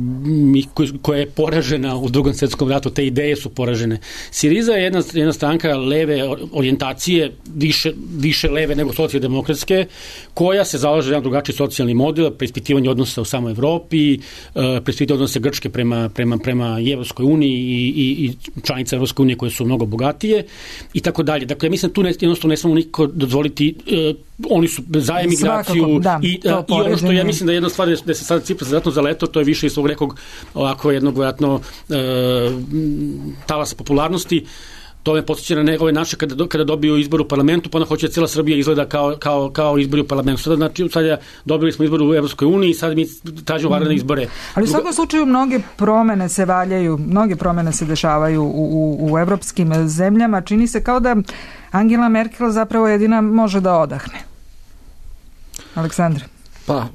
koja je poražena u Drugom svetskom ratu. Te ideje su poražene. Siriza je jedna, jedna stranka leve orijentacije, više, više leve nego socijaldemokratske, koja se zalaže za jedan drugačiji socijalni model, preispitivanje odnosa u samoj Evropi, uh, preispitivanje odnosa Grčke prema, prema, prema Evropskoj uniji i, i, i članice Evropske unije koje su mnogo bogatije i tako dalje. Dakle, mislim, tu ne, jednostavno ne smemo nikako dozvoliti, uh, oni su za emigraciju da, i, uh, i ono što ja mislim da je jedna stvar da se sada Cipras vjerojatno zaletao, to je više iz svog nekog ovako jednog vjerojatno uh, talasa popularnosti. To me podsjeća na ove naše kada, do, kada dobiju izbor u parlamentu, pa onda hoće da cijela Srbija izgleda kao, kao, kao izbor u parlamentu. Sada, znači, sada dobili smo izbor u Evropskoj uniji i sad mi tražimo vanredne izbore. Ali u svakom slučaju mnoge promene se valjaju, mnoge promene se dešavaju u, u, u evropskim zemljama. Čini se kao da Angela Merkel zapravo jedina može da odahne. Aleksandre. Pa,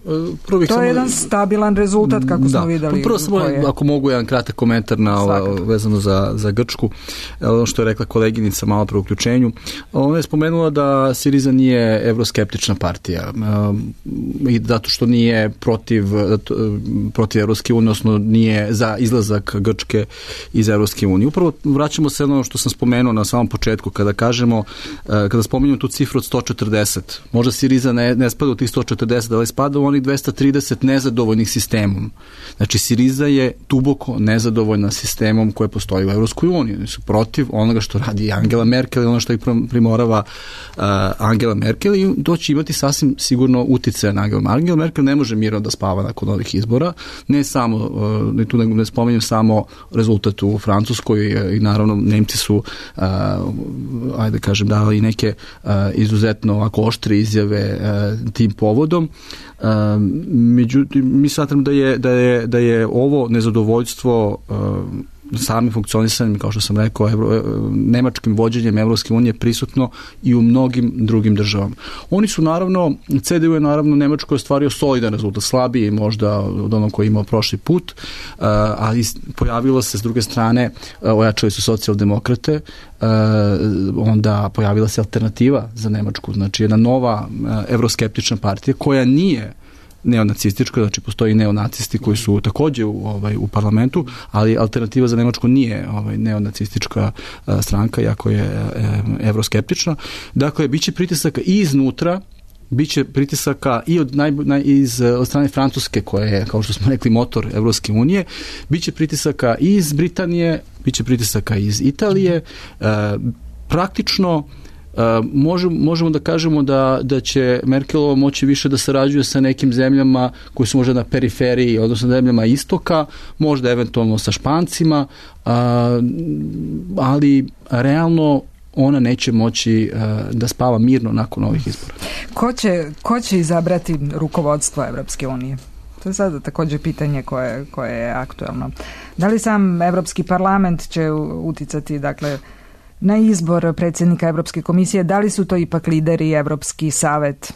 prvo bih to samo... je jedan stabilan rezultat, kako da, smo videli. Prvo samo, je... ako mogu, jedan kratak komentar na ovo, vezano za, za Grčku, ono što je rekla koleginica malo pre uključenju. Ona je spomenula da Siriza nije evroskeptična partija i zato što nije protiv, protiv Evropske unije, odnosno nije za izlazak Grčke iz Evropske unije. Upravo vraćamo se ono što sam spomenuo na samom početku, kada kažemo, kada spominjamo tu cifru od sto četrdeset. Možda Siriza ne, ne spada u tih sto četrdeset, ali spada u onih dvesta trideset nezadovoljnih sistemom. Znači, Siriza je duboko nezadovoljna sistemom koje postoji u Evropskoj uniji. Oni su protiv onoga što radi Angela Merkel i ono što ih primorava uh, Angela Merkel i to će imati sasvim sigurno uticaja na Angela Merkel. Angela Merkel ne može mirno da spava nakon ovih izbora. Ne samo, uh, tu ne, ne spominjem samo rezultat u Francuskoj i, i naravno Nemci su uh, ajde kažem dali neke uh, izuzetno ovako oštre izjave uh, tim povodom. Um, međutim, mi smatram da je, da je, da je ovo nezadovoljstvo um, samim funkcionisanjem, kao što sam rekao, evro, nemačkim vođenjem Evropske unije prisutno i u mnogim drugim državama. Oni su naravno, C D U je naravno Nemačko ostvario solidan rezultat, slabiji možda od onog koji je imao prošli put, uh, ali pojavilo se s druge strane, uh, ojačali su socijaldemokrate, uh, onda pojavila se alternativa za Nemačku, znači jedna nova uh, evroskeptična partija koja nije neonacistička, znači postoji neonacisti koji su takođe u, ovaj, u parlamentu, ali alternativa za Nemačku nije ovaj, neonacistička a, stranka, jako je e, evroskeptična. Dakle, biće pritisaka i iznutra, biće pritisaka i od, naj, naj, iz, od strane Francuske, koja je, kao što smo rekli, motor Evropske unije, biće pritisaka i iz Britanije, biće pritisaka iz Italije, e, praktično Uh, možemo, možemo da kažemo da, da će Merkelova moći više da sarađuje sa nekim zemljama koje su možda na periferiji, odnosno zemljama istoka, možda eventualno sa Špancima, uh, ali realno ona neće moći uh, da spava mirno nakon ovih izbora. Ko će, ko će izabrati rukovodstvo Evropske unije? To je sada također pitanje koje, koje je aktuelno. Da li sam Evropski parlament će uticati, dakle, na izbor predsjednika Evropske komisije, da li su to ipak lideri Evropski savet?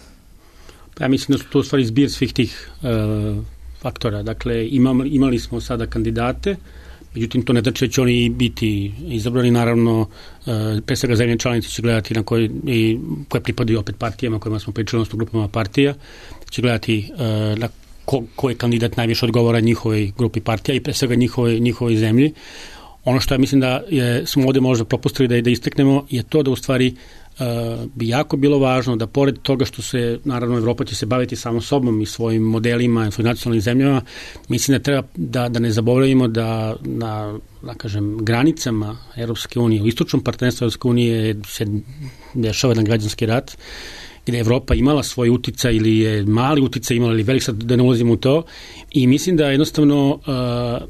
Ja mislim da su to u stvari zbir svih tih uh, faktora. Dakle, imam, imali smo sada kandidate, međutim to ne znači da će oni biti izabrani, naravno, uh, pre svega zemlje članice će gledati na koje, i, koje pripadaju opet partijama kojima smo pričali, odnosno grupama partija, će gledati uh, na ko, ko je kandidat najviše odgovara njihovoj grupi partija i pre svega njihovoj, njihovoj zemlji. Ono što ja mislim da je, smo ovde možda propustili da, da isteknemo je to da u stvari bi jako bilo važno da pored toga što se, naravno, Evropa će se baviti samo sobom i svojim modelima i svojim nacionalnim zemljama, mislim da treba da, da ne zaboravimo da na, da kažem, granicama Evropske unije, u istočnom partnerstvu Evropske unije se dešava jedan građanski rat, gde je Evropa imala svoj uticaj ili je mali uticaj imala ili velik, sad da ne ulazimo u to, i mislim da jednostavno uh,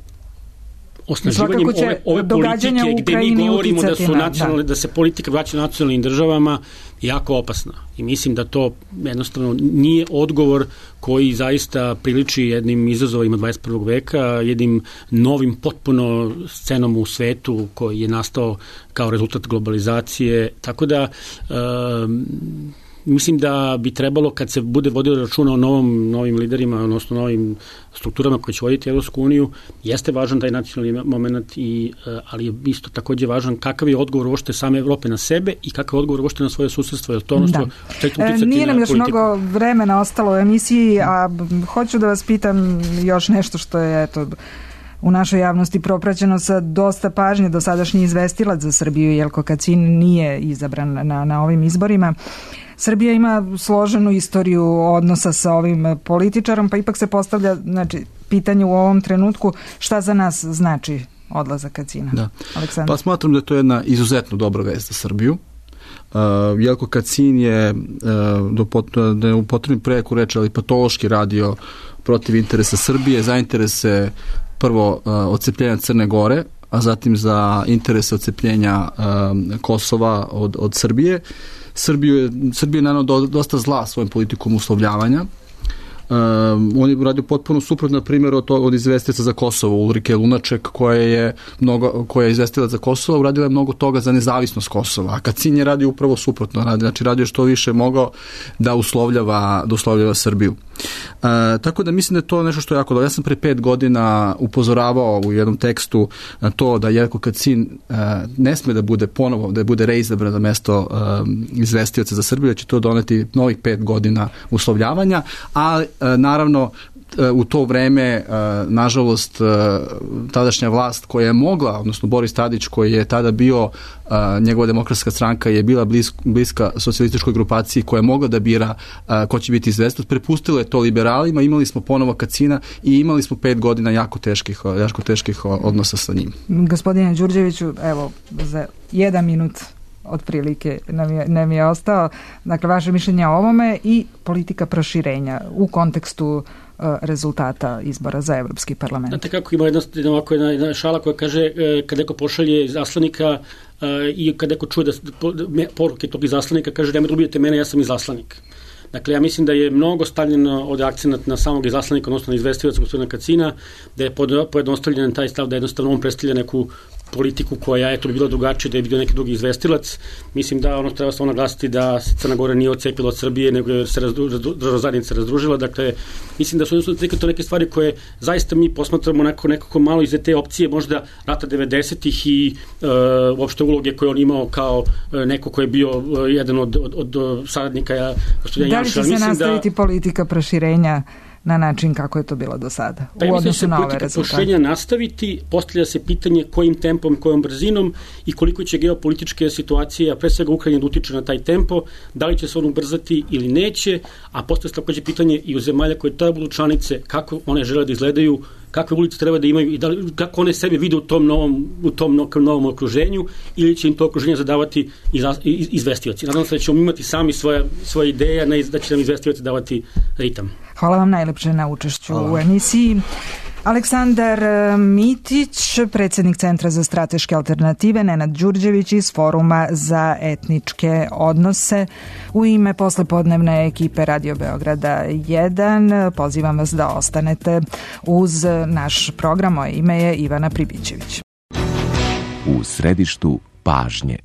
osnaživanjem ove, ove politike gde mi govorimo da su nacionalne, da. da se politika vraća nacionalnim državama jako opasna. I mislim da to jednostavno nije odgovor koji zaista priliči jednim izazovima dvadeset prvog veka, jednim novim potpuno scenom u svetu koji je nastao kao rezultat globalizacije. Tako da um, mislim da bi trebalo, kad se bude vodilo računa o novom, novim liderima, odnosno novim strukturama koje će voditi Evropsku uniju, jeste važan taj nacionalni moment, i, ali je isto takođe važan kakav je odgovor uopšte same Evrope na sebe i kakav je odgovor uopšte na svoje susedstvo. Je to ono što će uticati. Nije nam još politiku. Mnogo vremena ostalo u emisiji, a hoću da vas pitam još nešto što je, eto, u našoj javnosti propraćeno sa dosta pažnje. Dosadašnji izvestilac za Srbiju Jelko Kacin nije izabran na, na ovim izborima. Srbija ima složenu istoriju odnosa sa ovim političarom, pa ipak se postavlja, znači, pitanje u ovom trenutku šta za nas znači odlazak Kacina. Da. Aleksandar. Pa smatram da je to jedna izuzetno dobra vest za Srbiju. Uh, Jelko Kacin je, uh, do pot, da je u potrebnim preku reći, ali patološki radio protiv interesa Srbije, za interese prvo uh, odcepljenja Crne Gore, a zatim za interese odcepljenja uh, Kosova od, od Srbije. Srbiju je, Srbija je naravno do, dosta zla svojim politikom uslovljavanja. Um, on je radio potpuno suprotno, na primjer, od, od izvestilaca za Kosovo, Ulrike Lunaček, koja je, mnogo, koja je izvestilac za Kosovo, uradila je mnogo toga za nezavisnost Kosova, a Kacin je radio upravo suprotno, radi, znači radio što više mogao da uslovljava, da uslovljava Srbiju. Uh, tako da mislim da je to nešto što je jako dobro. Ja sam pre pet godina upozoravao u jednom tekstu na to da Jelko Kacin uh, ne sme da bude ponovo, da bude reizabran na mesto uh, izvestioca za Srbiju, da će to doneti novih pet godina uslovljavanja, a naravno u to vreme, nažalost, tadašnja vlast koja je mogla, odnosno Boris Tadić koji je tada bio, njegova demokratska stranka je bila bliska, bliska socijalističkoj grupaciji koja je mogla da bira ko će biti izvestilac, prepustilo je to liberalima, imali smo ponovo Kacina i imali smo pet godina jako teških, jako teških odnosa sa njim. Gospodine Đurđeviću, evo, za jedan minut otprilike nam je, nam je ostao. Dakle, vaše mišljenje o ovome i politika proširenja u kontekstu uh, rezultata izbora za Evropski parlament. Znate kako ima jedna, jedna, ovako jedna, jedna šala koja kaže e, kad neko pošalje izaslanika e, i kad neko čuje da, me, poruke tog izaslanika, kaže nemoj da ubijete mene, ja sam izaslanik. Dakle, ja mislim da je mnogo stavljeno od akcenat na samog izaslanika, odnosno na izvestilaca gospodina Kacina, da je pojednostavljen taj stav da jednostavno on predstavlja neku politiku koja je to bi bila drugačija, da je bio neki drugi izvestilac. Mislim da ono treba samo naglasiti da se Crna Gora nije odcepila od Srbije, nego je se država zajednica razdružila. Dakle, mislim da su to neke stvari koje zaista mi posmatramo nekako, nekako malo iz te opcije, možda rata devedesetih i e, uopšte uloge koje on imao kao neko ko je bio jedan od, od, od saradnika gospodina Janša. Da li će se nastaviti da politika proširenja na način kako je to bilo do sada, pa u odnosu na ove rezultate? Pa mislim da se politika nastaviti, postavlja se pitanje kojim tempom, kojom brzinom i koliko će geopolitičke situacije, a pre svega Ukrajina, da utiče na taj tempo, da li će se on ubrzati ili neće, a postavlja se takođe pitanje i u zemalja koje tada budu članice, kako one žele da izgledaju, kakve ulice treba da imaju i da li, kako one sebe vide u tom novom, u tom novom okruženju, ili će im to okruženje zadavati iz, iz, izvestioci. Nadam se da ćemo imati sami svoje, svoje ideje, ne da će nam izvestioci davati ritam. Hvala vam najlepše na učešću Hvala. U emisiji. Aleksandar Mitić, predsjednik Centra za strateške alternative, Nenad Đurđević iz Foruma za etničke odnose. U ime poslepodnevne ekipe Radio Beograda jedan pozivam vas da ostanete uz naš program. Moje ime je Ivana Pribićević. U središtu pažnje.